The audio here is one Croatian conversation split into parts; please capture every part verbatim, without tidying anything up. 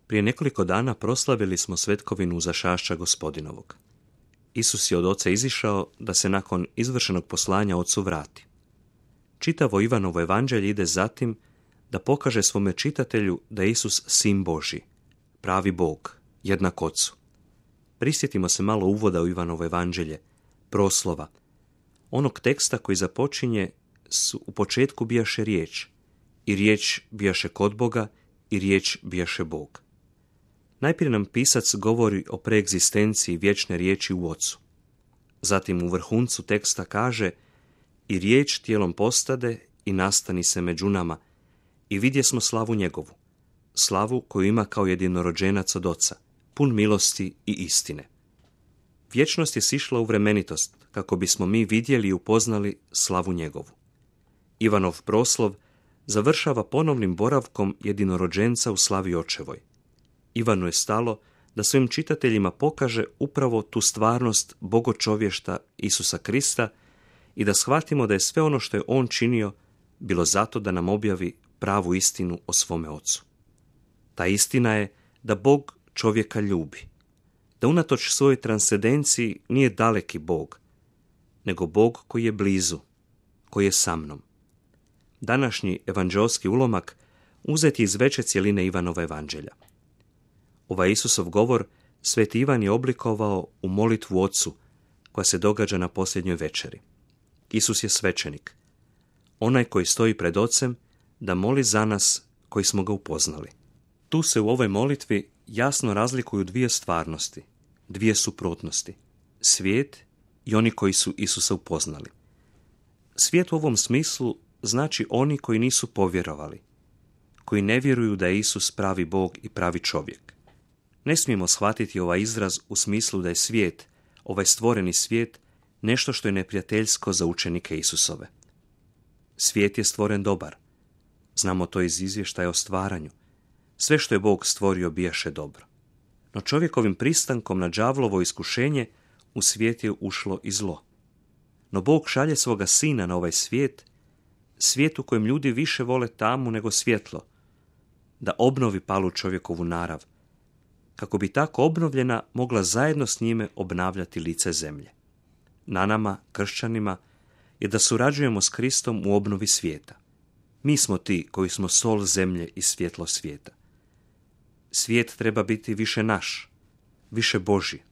Prije nekoliko dana proslavili smo svetkovinu Uzašašća Gospodinovog. Isus je od Oca izišao da se nakon izvršenog poslanja Ocu vrati. Čitavo Ivanovo evanđelje ide zatim da pokaže svome čitatelju da je Isus sin Božji, pravi Bog, jednak Ocu. Prisjetimo se malo uvoda u Ivanovo evanđelje, proslova, onog teksta koji započinje s u početku bijaše riječ, i riječ bijaše kod Boga, i riječ bijaše Bog. Najprije nam pisac govori o preegzistenciji vječne riječi u Ocu. Zatim u vrhuncu teksta kaže: i riječ tijelom postade i nastani se među nama, i vidjesmo slavu njegovu, slavu koju ima kao jedinorođenac od Oca, pun milosti i istine. Vječnost je sišla u vremenitost, kako bismo mi vidjeli i upoznali slavu njegovu. Ivanov proslov završava ponovnim boravkom jedinorođenca u slavi očevoj. Ivanu je stalo da svojim čitateljima pokaže upravo tu stvarnost bogočovješta Isusa Krista i da shvatimo da je sve ono što je on činio bilo zato da nam objavi pravu istinu o svome Ocu. Ta istina je da Bog čovjeka ljubi, da unatoč svojoj transcendenciji nije daleki Bog, nego Bog koji je blizu, koji je sa mnom. Današnji evanđeoski ulomak uzet je iz veće cjeline Ivanova evanđelja. Ovaj Isusov govor Sveti Ivan je oblikovao u molitvu Ocu koja se događa na posljednjoj večeri. Isus je svećenik, onaj koji stoji pred Ocem da moli za nas koji smo ga upoznali. Tu se u ovoj molitvi jasno razlikuju dvije stvarnosti, dvije suprotnosti, svijet i oni koji su Isusa upoznali. Svijet u ovom smislu znači oni koji nisu povjerovali, koji ne vjeruju da je Isus pravi Bog i pravi čovjek. Ne smijemo shvatiti ovaj izraz u smislu da je svijet, ovaj stvoreni svijet, nešto što je neprijateljsko za učenike Isusove. Svijet je stvoren dobar. Znamo to iz izvještaja o stvaranju. Sve što je Bog stvorio bijaše dobro. No čovjekovim pristankom na đavlovo iskušenje u svijet je ušlo i zlo. No Bog šalje svoga sina na ovaj svijet, svijet u kojem ljudi više vole tamu nego svjetlo, da obnovi palu čovjekovu narav, kako bi tako obnovljena mogla zajedno s njime obnavljati lice zemlje. Na nama, kršćanima, je da surađujemo s Kristom u obnovi svijeta. Mi smo ti koji smo sol zemlje i svjetlo svijeta. Svijet treba biti više naš, više Božji.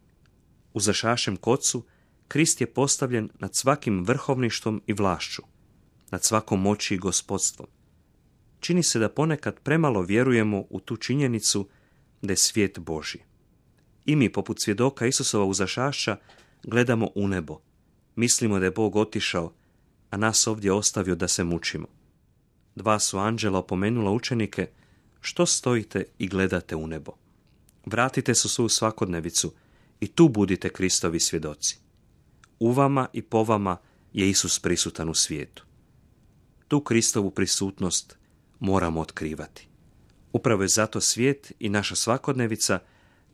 U Zašašem kocu Krist je postavljen nad svakim vrhovništvom i vlašću, nad svakom moći i gospodstvom. Čini se da ponekad premalo vjerujemo u tu činjenicu da je svijet Božji. I mi, poput svjedoka Isusova Uzašašća, gledamo u nebo. Mislimo da je Bog otišao, a nas ovdje ostavio da se mučimo. Dva su anđela opomenula učenike: što stojite i gledate u nebo? Vratite se u svoju svakodnevicu i tu budite Kristovi svjedoci. U vama i po vama je Isus prisutan u svijetu. Tu Kristovu prisutnost moramo otkrivati. Upravo je zato svijet i naša svakodnevica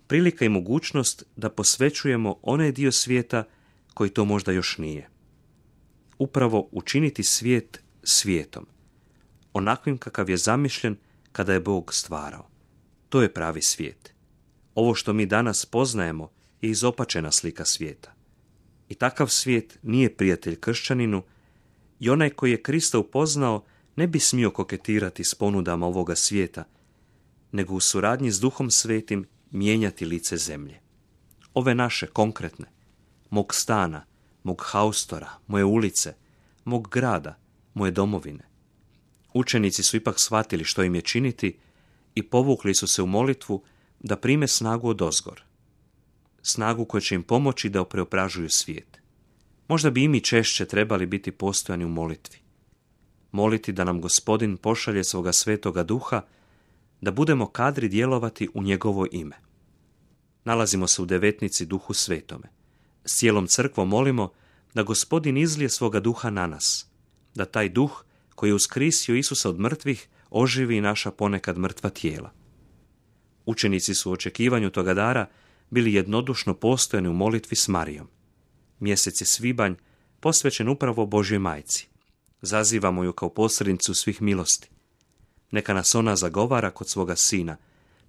prilika i mogućnost da posvećujemo onaj dio svijeta koji to možda još nije. Upravo učiniti svijet svijetom, onakvim kakav je zamišljen kada je Bog stvarao. To je pravi svijet. Ovo što mi danas poznajemo je izopačena slika svijeta. I takav svijet nije prijatelj kršćaninu i onaj koji je Krista upoznao ne bi smio koketirati s ponudama ovoga svijeta, nego u suradnji s Duhom Svetim mijenjati lice zemlje. Ove naše konkretne, mog stana, mog haustora, moje ulice, mog grada, moje domovine. Učenici su ipak shvatili što im je činiti i povukli su se u molitvu da prime snagu odozgor. Snagu koja će im pomoći da preobražuju svijet. Možda bi i mi češće trebali biti postojani u molitvi. Moliti da nam Gospodin pošalje svoga Svetoga Duha, da budemo kadri djelovati u njegovo ime. Nalazimo se u devetnici Duhu Svetome. S cijelom crkvom molimo da Gospodin izlije svoga Duha na nas, da taj Duh koji je uskrisio Isusa od mrtvih oživi naša ponekad mrtva tijela. Učenici su u očekivanju toga dara bili jednodušno postojani u molitvi s Marijom. Mjesec je svibanj posvećen upravo Božjoj majci. Zazivamo ju kao posrednicu svih milosti. Neka nas ona zagovara kod svoga sina,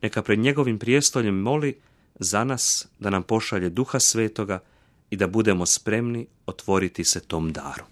neka pred njegovim prijestoljem moli za nas da nam pošalje Duha Svetoga i da budemo spremni otvoriti se tom daru.